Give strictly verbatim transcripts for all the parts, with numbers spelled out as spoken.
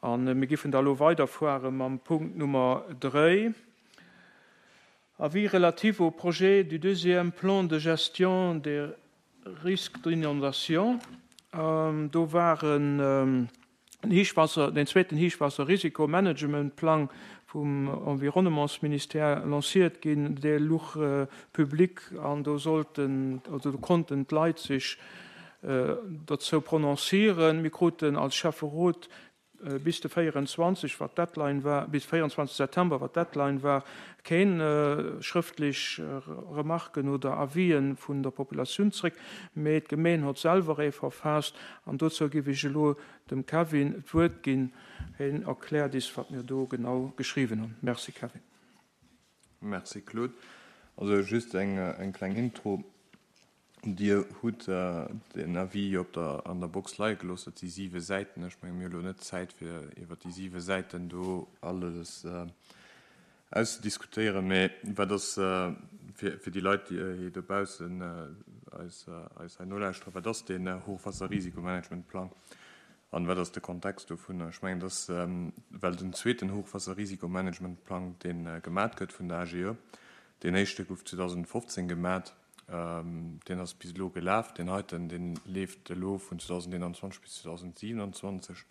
An mir giffen da lo weiderfuere mam Punkt Nummer dräi. Avis relatif au projet du deuxième plan de gestion des risques d'inondation. Ähm, do waren ähm, Héichwaasser, den zweeten Héichwaasserrisikomanagementplang vum Environnementsministère lanciert ginn, dee louch äh, public an do sollten, also do konnten d'Leit sech äh, dozou prononcieren. Mir kruten als Schäfferot äh, bis de véierenzwanzeg, wat d'Deadline war, bis véierenzwanzeg September, wat d'Deadline war, keng äh, schrëftlech äh, Remarken oder Avisen vun der Populatioun zréck, mee d'Gemeng huet selwer ee verfaasst an dozou géif ech elo dem Kevin d'Wuert ginn, hien erkläert eis, wat mir do genau geschriwwen hunn. Merci Kevin. Merci Claude. Also just eng, eng kleng Intro. Dir hutt äh, den Avis op der, an der Box leie gelooss, dat si siwe Säiten. Ech menge mir hu lo net Zäit fir iwwer déi siwe Säiten do alles äh, auszediskutéieren, mee wat ass äh, fir, fir déi Leit, déi hei dobaussen äh, eis, äh, eis hei nolauschteren, wat ass den äh, Hochwasserrisikomanagementplang an wat ass de Kontext dovun? Ech mengen, dass ähm, well den zweeten Hochwasserrisikomanagementplang, deen äh, gemat gëtt vun der A G E, deen éischte gouf zweedausendfofzéng gemat, ähm, deen ass bis elo gelaf, deen heiten, dee leeft elo vun zweedausendeenanzwanzeg bis zweedausendsiewenanzwanzeg.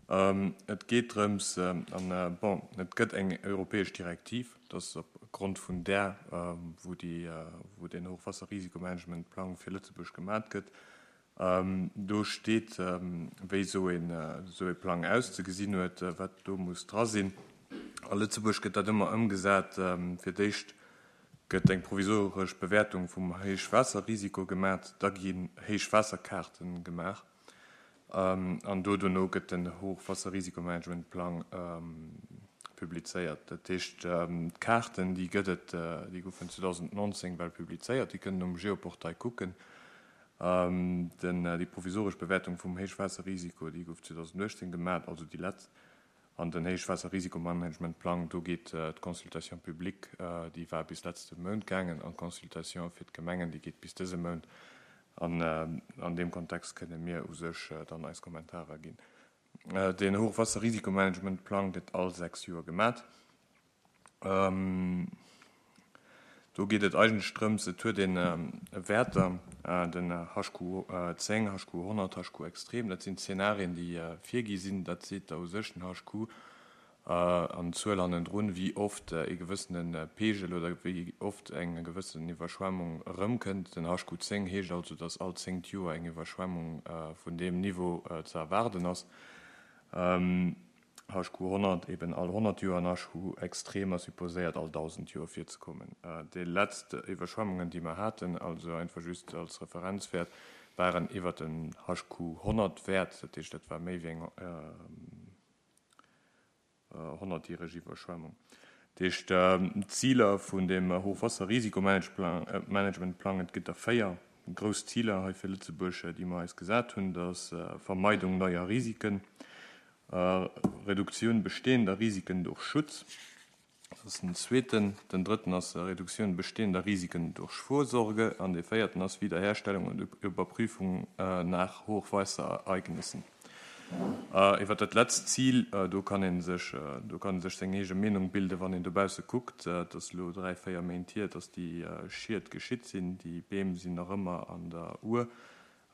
Ähm, et geet drëms, ähm, an, äh, bon, et gëtt eng europäesch Direktiv, dat ass opgrond vun där, ähm, wou, déi, äh, wou den Hochwasserrisikomanagementplang fir Lëtzebuerg gemat gëtt. Ähm, do steet, ähm, wéi sou een, äh, sou e Plang auszegesinn huet, äh, wat do muss dra sinn. A Lëtzebuerg gëtt dat ëmmer ëmgesat, ähm, fir d'éischt gëtt eng provisoresch Bewäertung vum Héichwaasserrisiko gemat, da ginn Héichwaasserkaarten gemaach. Ähm, an do dono gëtt den Hochwasserrisikomanagementplang ähm, publizéiert. Dat heescht, ähm, d'Kaarten, déi gëtt et, äh, déi goufen zweedausendnonzéng well publizéiert, déi kënnen um Geoportail kucken. Ähm, den, äh, déi provisoresch Bewäertung vum Héichwaasserrisiko, déi gouf zweedausenduechtzéng gemat, also déi letzt. An den Héichwaasserrisikomanagementplang, do geet äh, d'Consultation publique, äh, déi war bis letzte Mount gaangen, an d'Consultation fir d'Gemengen, déi geet bis dëse Mount. An äh, an deem Kontext kënne mir u sech äh, dann eis Kommentarer ginn. Äh, den Hochwasserrisikomanagementplang gëtt all sechs Joer gemat. Ähm, do geet et eigentlech drëms, et huet een ähm, Wäerter, äh, den H Q zéng, H Q honnert, H Q extrem, dat sinn Zenarien, déi äh, virgi sinn, dat seet da u sech den H Q äh, an d'Zuel hannendrun, wéi oft äh, e gewëssene äh, Pegel oder wéi oft eng gewëssen Iwwerschwemmung erëmkënnt. Den H Q zéng heescht also, dass all zéngt Joer eng Iwwerschwemmung äh, vun deem Niveau äh, ze erwaarden ass. Ähm, H Q honnert eben all honnert Joer an H Q extrem ass supposéiert all dausend Joer virzekommen. Äh, déi letzt Iwwerschwemmungen, déi mer haten, also einfach just als Referenzwäert, waren iwwer den H Q honnert Wäert, dat heescht, dat war méi wéi eng äh, honnertjäreg Iwwerschwemmung. Dat heescht, äh, d'Ziler vun dem Hochwasserrisikomanagementplang, et gëtt der véier grouss Ziler hei fir Lëtzebuerg, déi mer eis gesat hunn, dat ass äh, Vermeidung neuer Risiken, äh, Reduktioun bestehender Risiken durch Schutz, dat ass den zweeten, den drëtten ass äh, Reduktioun bestehender Risiken durch Vorsorge an de véierten ass Wiederherstellung und Überprüfung äh, nach Hochwasserereignissen. Äh, iwwer dat letzt Zil, äh, do kann een sech, äh, do kann sech seng eege Meenung bilden, wann een dobausse kuckt, äh, dat ass lo dräi, véier Méint hier, dass déi äh, Schied geschitt sinn, déi Beem sinn nach ëmmer an der Our,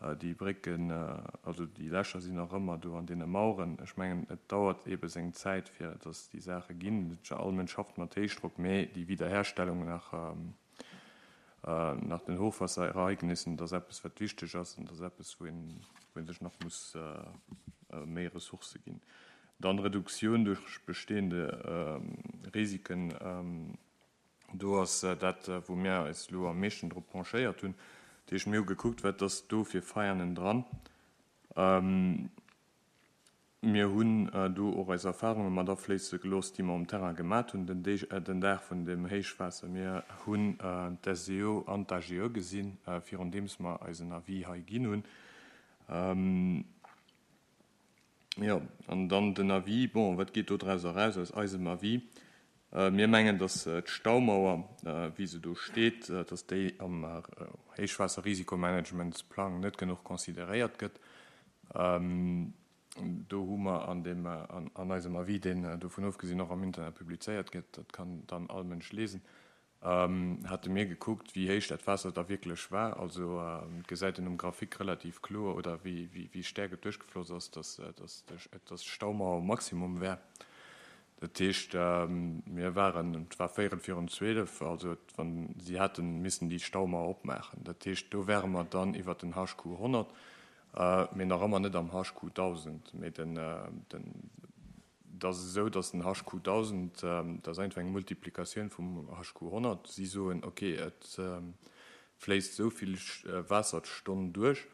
äh, déi Brécken, äh, also déi Lächer sinn nach ëmmer do an deene Maueren. Ech mengen, et dauert ebe seng Zäit, fir dass déi Saache ginn. All Mënsch schafft mat Héichdrock, mee déi Wiederherstellung nach, ähm, äh, nach den Hochwasserereignissen, dat ass eppes, wat wichteg ass an dat ass eppes, wou een, wou een sech nach muss äh, äh, méi Ressourcë ginn. Dann Reduktioun duerch bestehende ähm, Risiken, ähm, do ass äh, dat, äh, wou mir eis lo am meeschten drop penchéiert hunn. Dat heescht, mir hu gekuckt, wat ass do fir Faillen dran. Ähm, mir hunn äh, do och eis Erfarunge mat afléisse gelooss, déi mer um Terrain gemat hunn, den, Deg, äh, den Dag vun dem Héichwaasser. Mir hunn äh, d'S E O an d'A G E gesinn, äh, virun deems mer eisen Avis hei ginn hunn. Ähm, ja, an dann den Avis, bon, wat geet do draus eraus aus eisem Avis? Äh, mir mengen, dass äh, d'Staumauer, äh, wéi se do steet, äh, dass déi am äh, Héichwaasserrisikomanagementsplang net genuch consideréiert gëtt. Ähm, Do hu mer an deem, an eisem Avis, deen dovun ofgesinn och am Internet publizéiert gëtt, dat kann dann all Mënsch lesen, hate mir gekuckt, wéi héich dat Waasser da wierklech war. Also et gesäit een um Graphique relativ kloer, oder wéi, wéi, wéi staark et duerchgefloss ass, dass, dass, dass d'Staumauer um Maximum war. Dat heescht, mir waren, et war véierel virun zwielef, also wann si hätte missen déi Staumauer opmaachen. Dat heescht, do wäre mer dann iwwert den H Q honnert, mee nach ëmmer net am H Q dausend. Mee den, den, dat ass esou, dass den H Q dausend, dat ass einfach eng Multiplikatioun vum H Q honnert. Si soen, okay, et fléisst esou vill Waasser d'Stonn duerch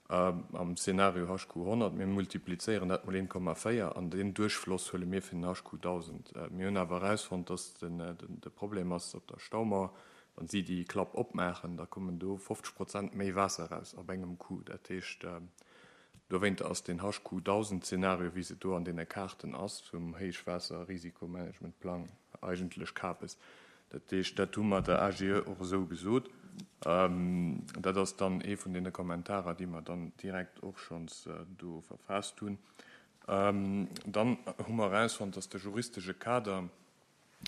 am Szenario H Q honnert, mir multiplizéieren dat mol een Komma véier an deen Duerchfloss huele mir fir den H Q dausend. Mir hunn awer erausfonnt, dass den, de Problem ass op der Staumauer, wann si déi Klapp opmaachen, da kommen do fofzeg Prozent méi Waasser eraus op engem Coup. Dat heescht, dowéinter ass den H Q dausend Zenario, wéi se do an deene Kaarten ass vum Héichwaasserrisikomanagementplang, eigentlech Kapes. Dat heescht, dat hu mer der A G E och esou gesot. Dat ass dann ee vun deene Kommentarer, déi mer dann direkt och schonns do verfaasst hunn. Dann hu mer erausfonnt, dass de juristesche Kader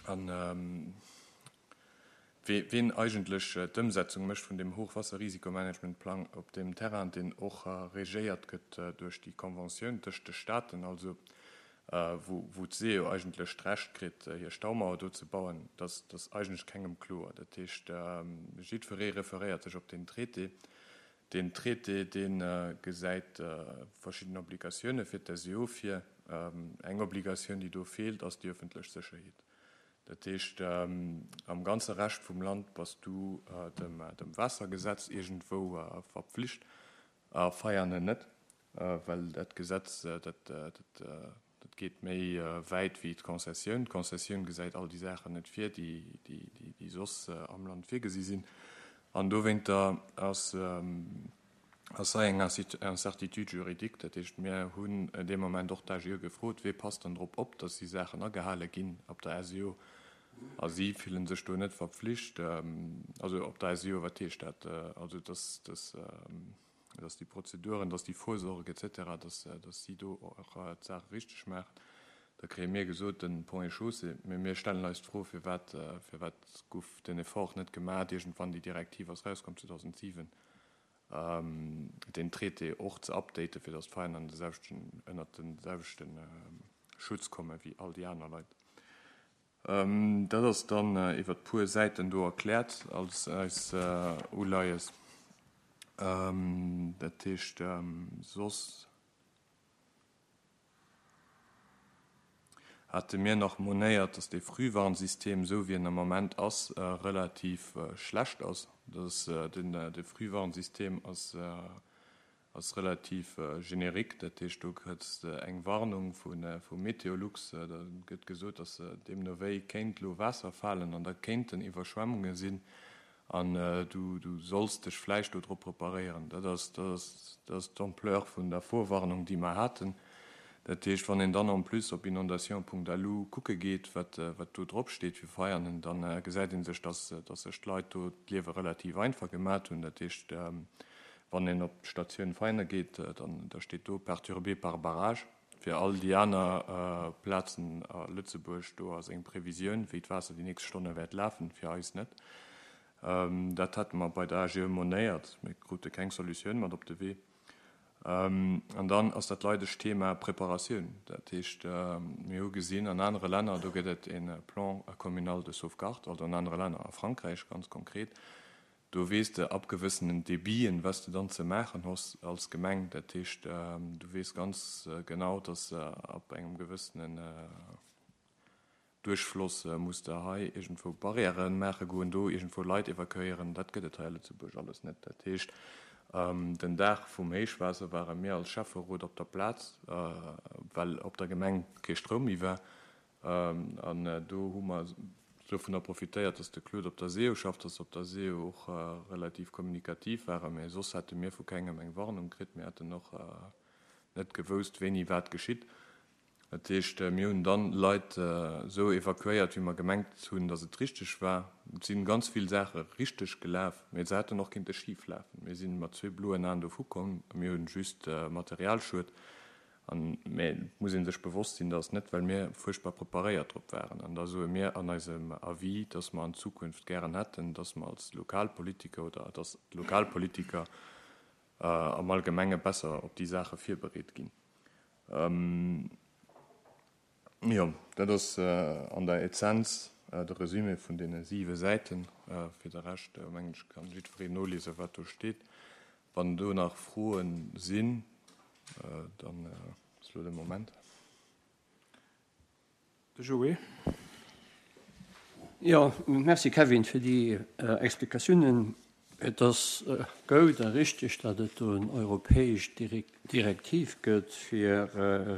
an ween eigentlech d'Ëmsetzung mécht vun deem Hochwasserrisikomanagementplang op deem Terrain, deen och regéiert gëtt duerch déi Conventioun tëscht de Staaten, also wou wou d'SEO eigentlech d'Recht kritt, hir Staumauer do ze bauen, dat ass eigentlech kengem kloer. Dat heescht, jiddweree referéiert sech op deen Traité. Deen Traité, dee gesäit verschidden Obligatioune fir d'SEO vir. Eng Obligatioun, déi do feelt, ass déi ëffentlech Sécherheet. Dat heescht, am ganze Rescht vum Land bass du dem dem Waassergesetz iergendwou verpflicht, a Veianen net, well dat Gesetz, dat dat dat geet méi wäit wéi d'Konzessioun. D'Konzessioun gesäit all déi Saachen net vir, déi déi déi soss am Land virgesi sinn. An dowéinter ass ass hei eng Incertitude juridique. Dat heescht, mir hunn dee Moment och d'A G E gefrot, wee passt dann drop op, datt déi Saachen agehale ginn op der S E O? A si fillen sech do net verpflicht. Also op der S E O, wat heescht dat? Also datt, datt, datt déi Prozeduren, datt déi Vorsorge et cetera, datt, datt si do och d'Saache richteg maachen. Da kréie mir gesot, den Ponts et Chaussées. Mee mir stellen eis d'Fro, firwat, firwat gouf den Effort net gemaach, iergendwann déi Direktiv ass rauskomm zweedausentsiwen, deen Traité och ze updaten, fir datt d'Vereiner an de selwechten, ënnert de selwechte Schutz komme wéi all déi aner Leit. Dat ass dann iwwer puer Säiten do erkläert als eis Uleies. Dat heescht, soss hate mir nach monéiert, datt dee Frühwarnsystem, esou wéi en am Moment ass, relativ schlecht ass. Dass den de Frühwarnsystem ass ass relativ générique, dat heescht, do kriss de eng Warnung vu vu Meteolux, da gëtt gesot, datt deemno wéi kéint elo Waasser falen an da kéinten Iwwerschwemmunge sinn an du du solls dech vläicht do drop preparéieren. Dat ass dat ass dat ass d'Ampleur vun der Vorwarnung, déi mer haten. Dat heescht, wann een dann en plus op inondation Punkt L U kucke geet, wat wat do drop steet fir Veianen, dann gesäit ee sech, dass dass sech d'Leit do d'Liewe relativ einfach gemat hunn. Dat heescht, wann een op d'Statioun Veianen geet, dann da steet do perturbé par barrage. Fir all déi aner Plazen a Lëtzebuerg, do ass eng Previsioun, wéi d'Waasser déi nächst Stonne wäert lafen, fir eis net. Dat hate mer bei der A G E monéiert, mir krute keng Solutioun mat op de Wee. An dann ass dat leidegt Thema Preparatioun. Dat heescht, mir hu gesinn an anere Länner, do gëtt et e Plan communal de sauvegarde, also an anere Länner, a Frankräich ganz konkret, do weess de ab gewëssenen Debiten, wat s de dann ze maachen hues als Gemeng. Dat heescht, du weess ganz genau, dass ab engem gewëssenen Duerchfloss muss de hei iergendwou Barrièrë maache goen, do iergendwou Leit evakuéieren. Dat gëtt et hei a Lëtzebuerg alles net. Dat heescht, den Dag vum Héichwaasser ware mir als Schäfferot op der Plaz, well op der Gemeng kee Stroum méi war. An do hu mer dovunner profitéiert, dass de Claude op der SEO schafft, dass se op der SEO och relativ kommunikativ waren. Mä soss hätte mir vu kengem eng Warnung kritt. Mir hätten och net gewousst, wéini wat geschitt. Dat heescht, mir hunn dann Leit esou evakuéiert, wéi mer gemengt hunn, dass et richteg war. Et si ganz vill Saache richteg gelaf, mä se hätten och kinnte schif lafen. Mir si mat zwee bloen Aen dovu komm. Mir hunn just Materialschued. An mä et muss ee sech bewosst sinn, dass net, well mir fuerchtbar preparéiert drop waren. An da soe mir an eisem Avis, dass mer an Zukunft gären hätten, dass mer als Lokalpolitiker oder dass d'Lokalpolitiker am Allgemenge besser op déi Saache virbereet ginn. Jo, dat ass an der Essenz de Resumé vun deene siwe Säiten. Fir de Rescht, mengen ech, kann jiddwereen noliesen, wat do steet. Wann do nach Froe sinn, dann ass elo de Moment. De Joé. Jo, merci Kevin fir déi Explikatiounen. Et ass goud a richteg, datt et do en europäesch Direktiv gëtt, fir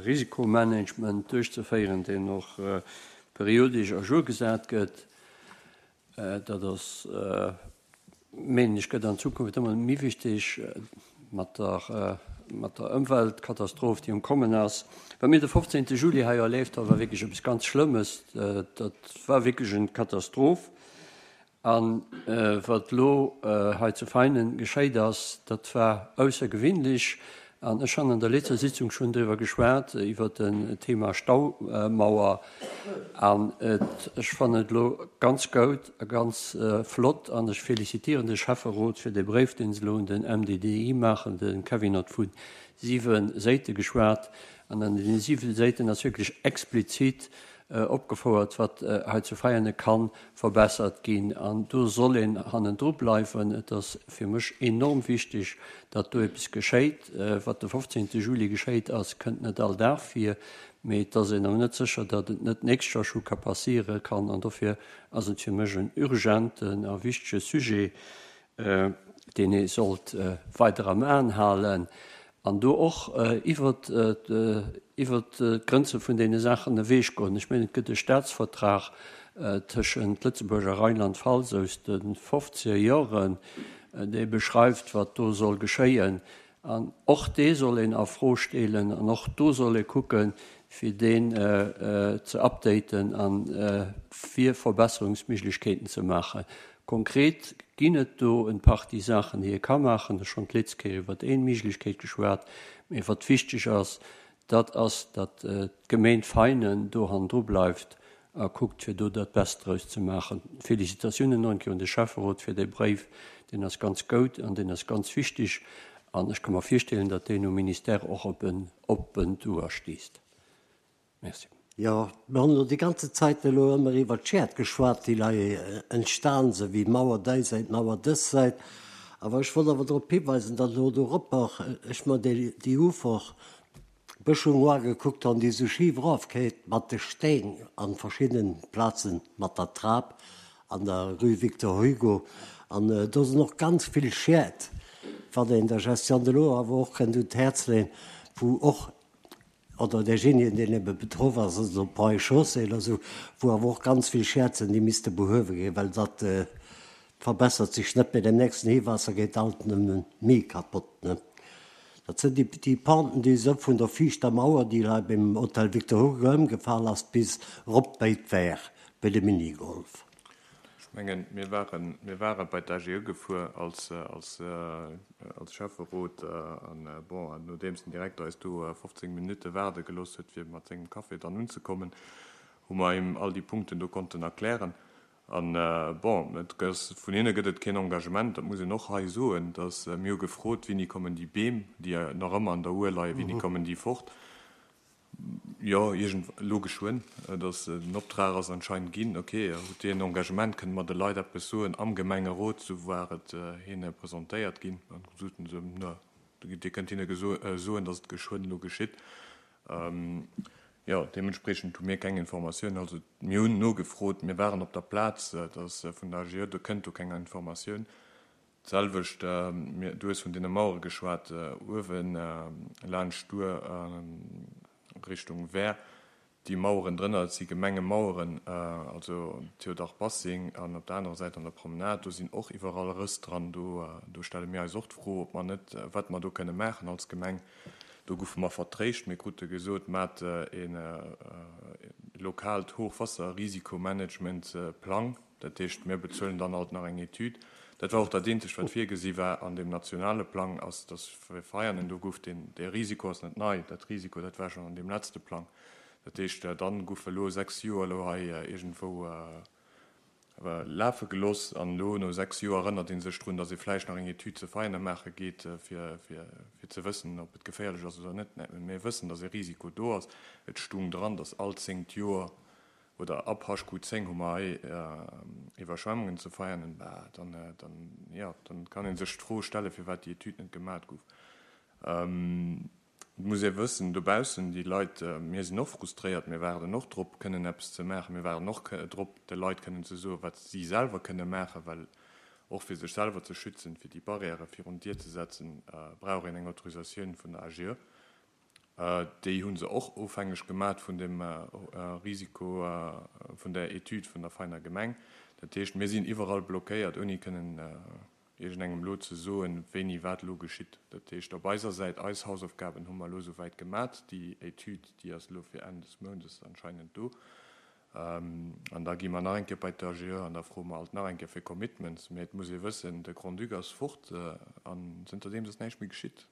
Risikomanagement duerchzeféieren, deen och periodesch à jour gesat gëtt. Dat ass, menen ech, gëtt an Zukunft ëmmer méi wichteg mat der, mat der Ëmweltkatastroph, déi um Kommen ass. Wat mir de fofzéngte Juli hei erlieft hu, war wierklech eppes ganz Schlëmmes. Dat war wierklech eng Katastroph. A wat elo hei zu Veinen geschéit ass, dat war aussergewinlech. An ech han an der letzter Sitzung schonn driwwer geschwat, iwwert den Thema Staumauer. An et, ech fannen et elo ganz goud a ganz flott an ech félicitieren de Schäfferot fir dee Bréif, deen se elo un den M D D I maachen. De Kevin huet vu siwe Séite geschwat an an deene siwe Séiten ass wierklech explizit opgefouert, wat hei zu Veiane ka verbessert ginn. An do soll een hannendru bleiwen. Et ass fir mech enorm wichteg, datt do eppes geschéit. Wat de fofzéngte Juli geschéit ass, kënnt net all Dag vir, mee et ass een awer net sécher, datt et net d'nächst Joer scho ka passiere kann. An dofir ass et fir mech en urgenten a wichtege Sujet, deen ee sollt weider am Aen halen an do och iwwert iwwert d'Grënze vun deene Saachen ewech goen. Ech mengen, et gëtt e Staatsvertrag tëschent Lëtzebuerg a Rheinland-Pfalz aus de fofzeger Joren, dee beschreift, wat do soll geschéien. An och dee soll een a Fro stellen an och do soll ee kucken, fir deen ze updaten a fir Verbesserungsméiglechkeeten ze maachen. Konkret ginn et do en Partie Saachen, déi ee ka maachen. Ech schonn d'letzt Kéier iwwert een Méiglechkeet geschwat. Mee wat wichteg ass, dat ass, datt d'Gemeng Veinen do hannendru bleift a kuckt, fir do dat Best draus ze maachen. Félicitatiounen nach eng Kéier un de Schäfferot fir dee Bréif. Deen ass ganz goud an deen ass ganz wichteg. An ech ka mer virstellen, datt deen um Ministère och op en oppent Ouer stéisst. Merci. Jo, mir hunn elo déi ganze Zäit elo ëmmer iwwer d'Schied geschwat, déi hei entstan sinn, wéi Mauer déi Säit, Mauer dës Säit. Awer ech wollt awer drop hiweisen, datt elo doropper ech mer déi, déi Uferbëschung ugekuckt hunn, déi esou schif erofkéit mat de Steen an verschiddenen Plazen, mat der Trap an der Rue Victor Hugo. An do sinn och ganz vill Schied, wat een der Gestion de l'eau awer och kënnt un d'Häerz leeën, wou och oder derjenige, deen ebe betroff ass, also op Chaussée oder sou, wou awer och ganz vill Schied sinn, déi misste behuewe ginn, well dat verbessert sech net, bei dem nächsten Héichwaasser geet alt nëmme méi kapott, ne? Dat sinn déi, déi Penten, déi esou vun der viischter Mauer, déi hei beim Hotel Victor Hugo ëmgefall ass, bis erop bei d'Wehr, bei de Minigolf. Ech mengen, mir waren, mir ware bei d'A G E gefuer als, als, als Schäfferot an, bon, nodeems den Direkter eis do fofzéng Minutte waarde gelooss huet, fir mat sengem Café dann unzekommen, hu mer him all déi Punkten do konnten erklären. An, bon, et ass, vun hinne gëtt et keen Engagement, dat muss een och hei soen, dass mir hu gefrot, wéini kommen déi Beem, déi nach ëmmer an der Our leien, wéini kommen déi fort? Jo, iergend elo geschwënn, dass den Optrag ass anscheinend ginn. Ok, hutt Dir en Engagement, kënne mer de Leit eppes soen am Gemengerot? Sou war et hinne presentéiert ginn. An du soten se, na, Dir kënnt hinne soen, dass et geschwënn elo geschitt. Jo, deementspriechend hu mir keng Informatioun. Also mir hunn nogefrot, mir waren op der Plaz, dass vun der A G E, do kënnt do keng Informatioun. D'selwecht, du hues vun deene Mauere geschwat, uewe laanscht d'Our Richtung Wehr, déi Maueren drënner, dat si Gemengemaueren, also Théodore Bassing an op der anerer Säit an der Promenade, do sinn och iwwerall Rëss dran. Do, do stelle mir eis och d'Fro, ob mer net, wat mer do kënne maachen als Gemeng. Do goufe mer vertréischt, mir krute gesot, maacht e lokaalt Hochwasserrisikomanagement-Plang, dat heescht, mir bezuelen dann alt nach eng Etüd. Dat war och dat eenzegt, wat virgesi war an deem nationale Plang, ass, dass fir Veianen do gouf deen, dee Risiko ass net nei, dat Risiko, dat war schonn an deem letzte Plang. Dat heescht, dann goufe elo sechs Joer elo hei iergendwou lafe gelooss an elo no sechs Joer erënnert ee sech drun, dass ee vläicht nach eng Etüd zu Veianen maache geet, fir, fir, fir ze wëssen, ob et geféierlech ass oder net. Mir wëssen, dass e Risiko do ass. Et stung dran, dass all zéngt Joer oder ab H Q zéng hu mer hei Iwwerschwemmungen ze Veianen. Bah, dann, dann, ja, dann kann ee sech d'Fro stellen, firwat déi Etüd net gemaach gouf. Et muss ee wëssen, dobaussen, déi Leit, mir sinn och frustréiert, mir waarden och drop, kënnen eppes ze maachen, mir waarden och drop, de Leit kënnen ze soen, wat si selwer kënne maachen, well och fir sech selwer ze schützen, fir déi Barrièrë virun d'Dier ze setzen, brauch een eng Autorisatioun vun der A G E. Déi hu se och ofhängeg gemaach vun dem Risiko vun der Etüd vun der Veiner Gemeng. Dat heescht, mir sinn iwwerall blockéiert, ouni kënnen iergendengem elo ze soen, wéini wat elo geschitt. Dat heescht, op eiser Säit, eis Hausaufgaben hu mer elo souwäit gemaach. Déi Etüd, déi ass elo fir Enn des Moundes anscheinend do. An da gi mer nach eng Kéier bei d'A G E an da froe mer alt nach eng Kéier fir Commitments. Mee et muss ee wëssen, de Grand-Duc ass fort an zënterdeems ass näischt méi geschitt.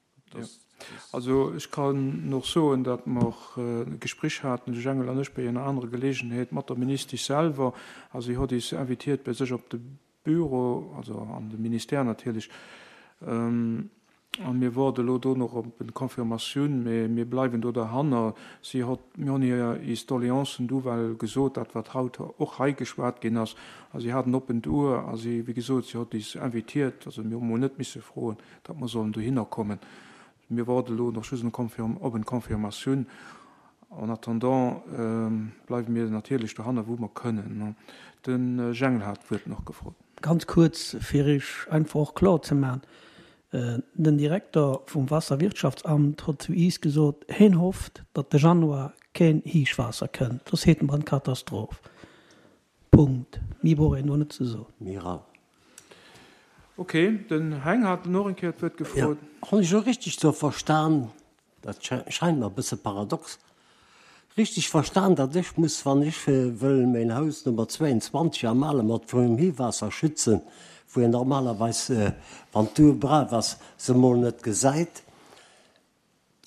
Also ech kann och soen, datt mer e Gespréich haten, de Jengel an ech, bei enger anerer Geleegenheet mat der Ministesch selwer a si hott is invitiert bei sech op de Büro, also an de Ministère natierlech, a mir woarde elo do nach op eng Confirmatioun, mee mir bleiwen do derhanner. Si hott, mir hunn hir is Doleancen du well gesot, dat wat haut och hei geschwat ginn ass, a si hat en oppent Uer a si, wéi gesot, si hott is invitiert, also mir hu mol net misse froen, datt mer sollen dohinner kommen. Mir woarde elo nach just op eng Confirmatioun. En attendant bleiwe mir natierlech dohanner, wou mer kënnen. De Jengel hat d'Wuert nach gefrot. Ganz kuerz, fir Iech einfach och kloer ze maachen, Den Direkter vum Waasserwirtschaftsamt hott zu iis gesot, heen hofft, datt de Januar keen Héichwaasser kënnt, soss heet mer en Katastroph. Punkt. Méi brauch een do net ze soen. Mira. Ok, den Heng hat och eng Kéier d'Wuert gefrot. Hunn ech elo richteg sou verstan, dat scheint mer e bësse paradox, richteg verstan, datt ech muss, wann ech wëll mäin Haus Nummer zweiundzwanzeg am Alemert vum Héichwaasser schützen, wou een normalerweis, wann d'Our brav ass, se mol net gesäit,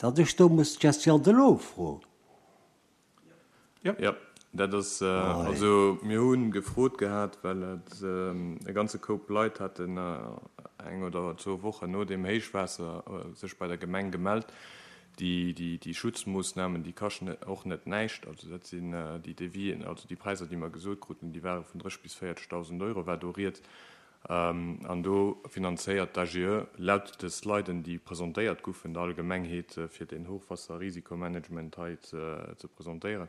datt ech do muss d'Gestion de l'eau froen? Jo. Jo, dat ass, also mir hu gefrot gehat, well et e ganze Koup Leit haten eng oder zwou Wochen no deem Héichwaasser sech bei der Gemeng gemellt. Déi, déi, déi Schutzmoossnamen, déi kaschten och net näischt. Also dat sinn déi Devis'en, also déi Präisser, déi mer gesot kruten, déi ware vun dréisseg bis véierzegdausend Euro war do rieds. An do finanzéiert d'A G E laut de Sliden, déi presentéiert goufen der Allgemengheet, fir den Hochwasserrisikomanagement hei ze, ze presentéieren,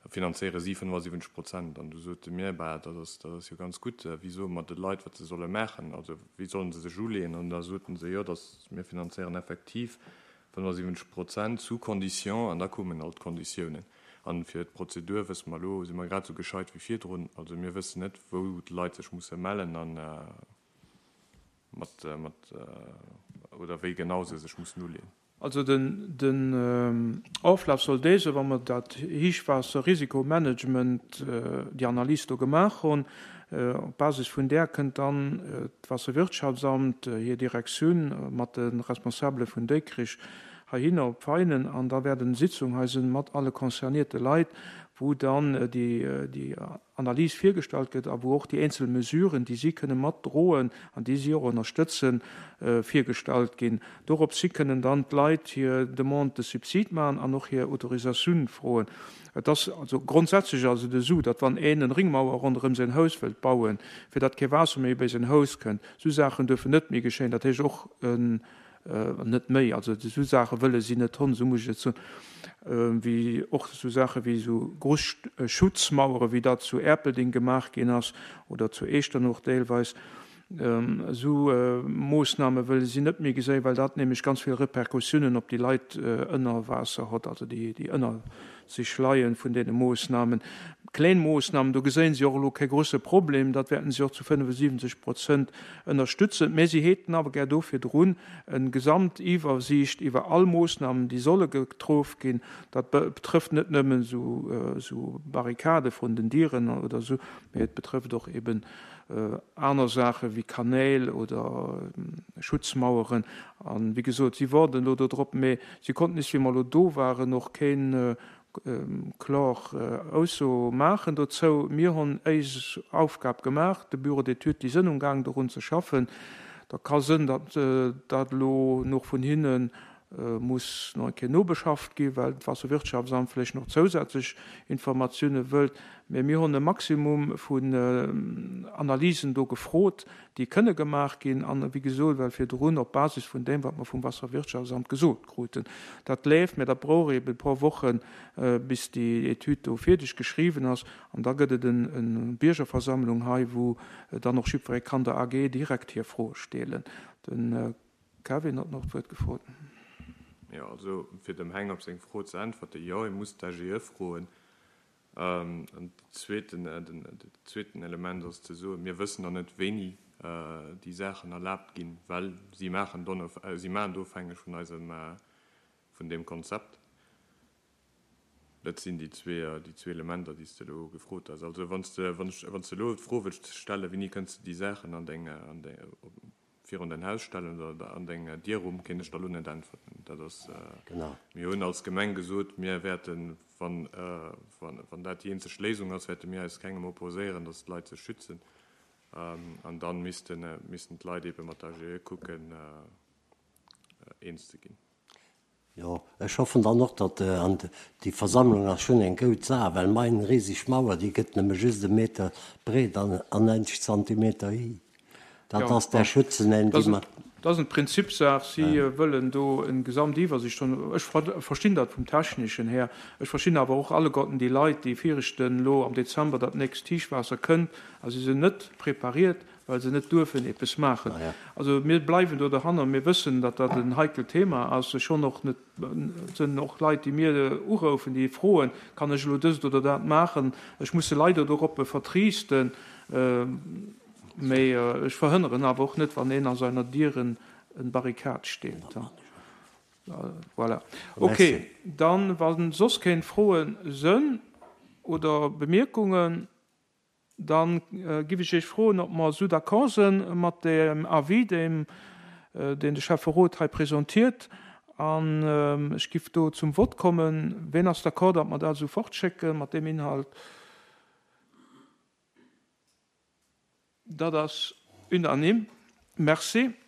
finanzéiere si fënnefasiwwenzeg Prozent. An du sote mir, bah, dat ass, dat ass jo ganz gutt, wéi soe mer de Leit, wat se solle maachen, also wéi sollen se sech uleeën? An da soten se, jo, dass mir finanzéieren effektiv fënnefasiwwenzeg Prozent sous condition, an da koumen all d'Konditiounen. An fir d'Prozedur wësse mer elo, si mer grad esou gescheit wéi virdrun, also mir wëssen net, wou d'Leit sech musse mellen an mat, mat, oder wéi genau se sech mussen uleeën. Also den, den Oflaf soll dee sinn, wa mer dat Héichwaasserrisikomanagement, déi Analys do gemaach hunn, op Basis vun där kënnt dann d'Waasserwirtschaftsamt, hir Direktioun mat de Responsabele vun Déikrich heihinner op Veinen an da wäert eng Sitzung hei sinn mat alle concernéierte Leit, wou dann déi, déi Analys virgestallt gëtt a wou och déi eenzel Mesuren, déi si kënne matdroen an déi si och ënnerstëtzen, virgestallt ginn. Dorops hi kënnen dann d'Leit hir Demande de subside maachen an och hir Autorisatioun froen. Et ass also grondsätzlech ass et esou, datt wann een en Ringmauer ronderëm säin Haus wëllt bauen, fir datt kee Waasser méi bei säin Haus kënnt, esou Saachen duerfen net méi geschéien. Dat heescht och en net méi, also esou Saache wëlle si net hunn, esou muss ech et soen, wéi och esou Saache wéi esou grouss Schutzmauere wéi dat zu Erpelding gemaach ginn ass oder zu Echternach deelweis. Esou Moossname wëlle si net méi geséien, well dat nämlech ganz vill Repercussiounen op déi Leit ënner Waasser huet, also déi, déi ënner sech leien vun deene Moossnamen. Kleng Moossnamen, do geséien si och elo kee grouse Problem, dat wäerten si och zu fënnefensiwwenzeg Prozent ënnerstützen. Mä si häten awer gär do virdrun eng Gesamtiwwersiicht iwwer all Moossnamen, déi solle getroff ginn. Dat betrëfft net nëmmen esou Barrikade vrun den Dieren oder esou, mä et betrëfft och eben aner Saache wéi Kanäl oder Schutzmaueren. A wéi gesot, si waarden elo dodrop, mä si konnten is, wéi mer elo do waren, och keen kloer Ausso maachen dozou. Mir hunn éis Aufgab gemaach, de Bureau d'études, déi sënn umgaang dorun ze schaffen. Da ka sënn, datt dat elo nach vun hinne muss nach eng Kéier nobeschafft ginn, well d'Waasserwirtschaftsamt vläicht nach zousätzlech Informatioune wëllt. Mä mir hunn e Maximum vun Analysen do gefrot, déi kënne gemaach ginn an, wéi gesot, well virdrun op Basis vun deem, wat mer vum Wasserwirtschaftsamt gesot kruten. Dat leeft, mä dat brauch eeben e puer Wochen, bis déi Etüd do fierdeg geschriwwen ass. An da gëtt et eng Biergerversammlung hei, wou dann och jiddweree kann der A G direkt hir Froe stellen. De Kevin huet nach d'Wuert gefrot. Jo, also fir dem Heng op seng Fro ze äntwerten, Jo, ee muss d'A G E froen. An zweeten, den zweeten Element ass ze soen, mir wëssen nach net, wéini déi Saachen erlaabt ginn, well si maachen si maachen et ofhängeg vun eisem, vun deem Konzept. Dat sinn déi zwee, déi zwee Elementer, déi s de elo gefrot hues. Also wann s de, wann ech, wann s de elo d'Fro wëlls stellen, wéini kënns de déi Saachen an deng, an deng, virun däin Haus stellen oder an deng Dierrumm, kéint ech der elo net äntwerten. Dat ass, mir hunn als Gemeng gesot, mir wäerten, wann, wann, wann dat déi eenzeg Léisung ass, wäerte mir eis kengem opposéieren, dass d'Leit sech schützen. An dann missten, missten d'Leit eebe mat der A G E kucken, eens ze ginn. Jo, ech hoffen dann och, datt, an déi Versammlung ass schonn eng goud Saach, well mein riseg Mauer, déi gëtt nëmme just e Meter breet an neunzeg Zentimeter hi. Dat ass där Schützen, déi mer. Dat ass eng Prinzipsaach. Si wëllen do eng Gesamtiwwersicht hunn. Ech verstinn dat vum Techneschen här. Ech verstinn awer och alleguerten déi Leit, déi fierchten elo am Dezember, datt nächst Héichwaasser kënnt a si sinn net prepariert, well se net duerfen eppes maachen. Also mir bleiwen do dohanner. Mir wëssen, datt dat en heikelt Thema ass. Ech hunn och net, et sinn och Leit, déi mir uroufen, déi froen, Kann ech elo dëst oder dat maachen? Ech muss se leider doroppe vertriisten. Mee ech verhënneren awer och net, wann een a seiner Dieren en Barrikad steet. Voilà. Ok, dann, wa soss keng Froen sënn oder Bemierkungen, dann giff ech Iech froen, ob mer esou d'accord sënn mat deem Avis, deem deen de Schäfferot hei presentiert. An ech giff do zum Vott kommen. Ween ass d'accord, datt mer dat esou fortschécken mat deem Inhalt? Dat ass unanime. Merci.